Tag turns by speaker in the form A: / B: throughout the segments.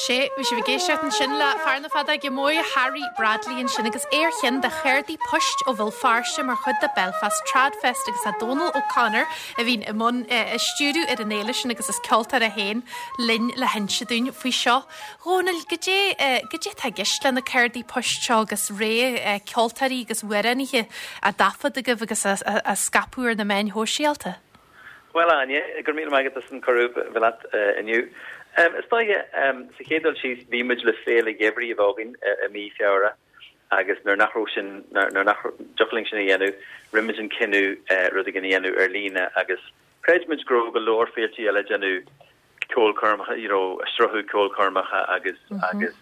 A: Sé, bhí sibh ag éisteacht ansin le fear na feadóige móire Harry Bradley ansin agus é ar cheann de cheardaí poist ó Bhéal Feirste mar chuid de Belfast Tradfest agus tá Dónal O'Connor a bhíonn i mbun a stiúradh ar an fhéile sin agus is ceoltóir é féin linn le hinse dúinn faoi seo. Dhónaill, goidé, goidé atá i gceist le na cártaí poist seo agus rogha ceoltóirí agus amhránaithe á dtaifead agaibh agus á scaipeadh ar na meáin shóisialta?
B: Bhuel, a Áine, go raibh míle maith agat as an cuireadh bheith leat inniu. Is dóiche, sa chéad dul síos, bhí muid le féile gheimhridh a bheith againn i mí Feabhra agus nuair nach raibh sin, nuair nach dtiocfadh linn sin a dhéanamh, rinne muid an cinneadh rud éigin a dhéanamh ar líne agus chreid muid go raibh go leor féiltí eile ag déanamh ceolchoirmeacha, you know, ag sruthú ceolchoirmeacha agus agus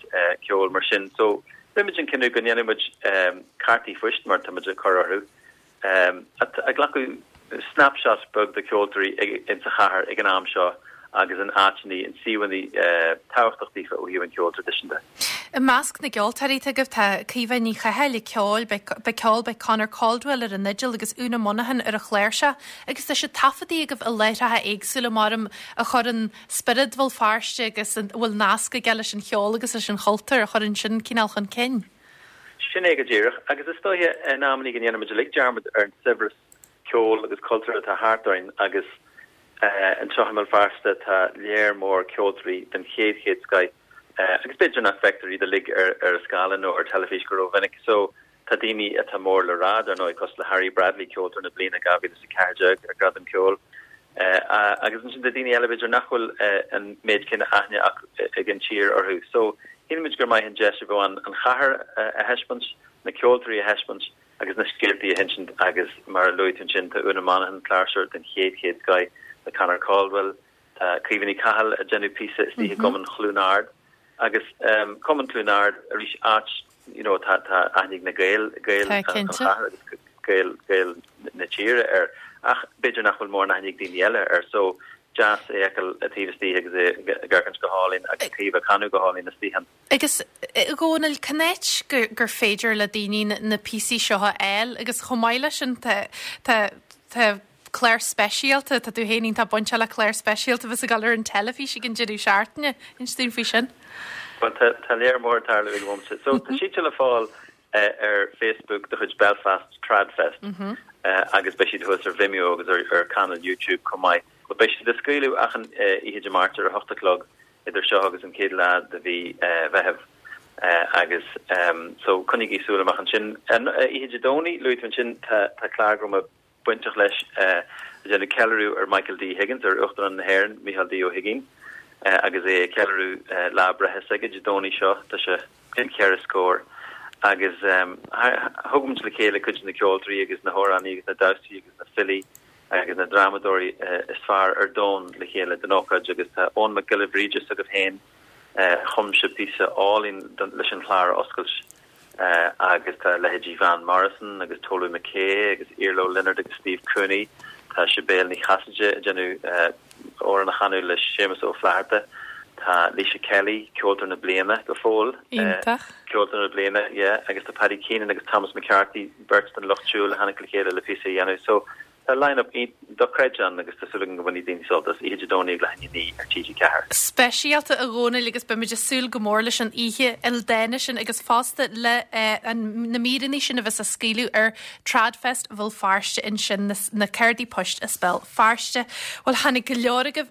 B: ceol mar sin. So, rinne muid an cinneadh go ndéanfadh muid cártaí phoist, mar tá muid ag cur orthu, ag glacadh snapshot beag de cheoltóirí insa chathair ag an am seo agus in áiteanna, in suíomhanna tábhachtach daofa ó thaobh an cheoil traidisiúnta.
A: I measc na gceoltóirí atá agaibh tá Caoimhe Ní Chathail ag ceol, beidh ceol, beidh Conor Caldwell ar an fhidil agus Úna Monaghan ar an chláirseach agus tá siad taifeadtaí agaibh i láithreacha éagsúla mar a chuireann spiorad Bhéal Feirste agus a bhfuil nasc aige leis an cheol agus leis an chultúr a chuireann sin cineál chun cinn.
B: Sin é go díreach, agus is dóiche in amannaí go ndéanaimid uilig dearmad ar an saibhreas ceoil agus cultúir atá thart orainn agus anseo i mBéal Feirste tá léar mór ceoltóirí den chéad chéad scoith agus b'fhéidir nach bhfeictear iad uilig ar ar an scáileán nó ar teilifís go rómhinic so tá daoine atá mór le rá dar ndóigh cosúil le Harry Bradley, Ceoltóir na Bliana 2014 ar Gradam Ceoil. Agus ansin tá daoine eile b'fhéidir nach bhfuil an méid céanna aithne ag an tír orthu. So shíl muid gur maith an deis a bheadh ann an chathair a thaispeáint, na ceoltóirí a thaispeáint agus na scéaltaí a hinsint agus mar a luaigh tú ansin tá Úna Monaghan, cláirseoir den chéad chéad scoith, tá Conor Caldwell, tá Caoimhe Ní Chathail ag déanamh píosa istigh i gCumann Chluain Ard agus Cumann Chluain Ard arís áit you know tá tá aithne ag na Gaeil, Gaeil
A: Tá,
B: an
A: cinnte.
B: chathair agus Gaeil, Gaeil na tíre air ach b'fhéidir nach bhfuil mórán aithne ag daoine eile air so deas é a fheiceáil taobh istigh agus é ag amharc go hálainn agus Caoimhe ag canadh go hálainn istigh ann.
A: Agus a Dhónaill, cá háit gur gur féidir le daoine na píosaí seo a fháil agus chomh maith leis sin tá tá tá clár speisialta, tá tú féin iontach bainteach le clár speisialta a bheas ag dul ar an teilifís ag an deireadh seachtaine. Inis dúinn faoi sin.
B: Bhuel, tá, tá léar mór ag tarlú ag an bhomaite. So, tá siad le fáil ar Facebook de chuid Belfast Tradfest agus beidh siad thuas ar Vimeo agus ar, ar channel YouTube chomh maith. But beidh siad á scaoileadh achan oíche Dé Máirt ar a hocht a chlog idir seo agus an chéad lá de mhí Mheithimh agus so coinnígí súil amach ansin. An oíche Dé Domhnaigh, luaigh tú ansin, tá, tá clár go raibh mé bainteach leis, ag déanamh ceiliúradh ar Michael D. Higgins, ar Uachtarán na hÉireann, Micheál D. Ó hUigínn, agus é ag ceiliúradh lá breithe s'aige Dé Domhnaigh seo, tá sé bliain cheithre scór, agus thug muid le chéile cuid de na ceoltóirí agus na hamhránaí agus na damhsaí agus na filí agus na drámadóirí is fearr ar domhan le chéile don ócáid agus tá Eoin Mac Giolla Bhríde s'agaibh féin, chum sé píosa álainn leis an chlár a oscailt. Agus tá leithéidí Van Morrison agus Tolü Makay agus Iarla Ó Lionáird agus Steve Cooney, tá Sibéal Ní Chasaide ag déanamh amhrán a chanadh le Séamus Ó Flatharta, tá Laoise Kelly, Ceoltóir na Bliana go fóill,
A: Iontach.
B: Ceoltóir na Bliana, yeah, agus tá Paddy Keenan agus Thomas McCarthy, beirt den Lucht Siúil a tháinig le chéile le píosa a dhéanamh. So, Tá line-up dochreidte ann agus tá súil agam go mbainfidh daoine sult as oíche Dé Domhnaigh ag leath i ndiaidh a 9 ar TG4.
A: Speisialta a Dhónaill agus beimid ag súil go mór leis an oíche ildánach sin agus fosta le na míreanna sin a bheas á scaoileadh ar Tradfest Bhéal Feirste ansin, na cártaí poist as Béal Feirste. Bhuel tháinig go leor agaibh.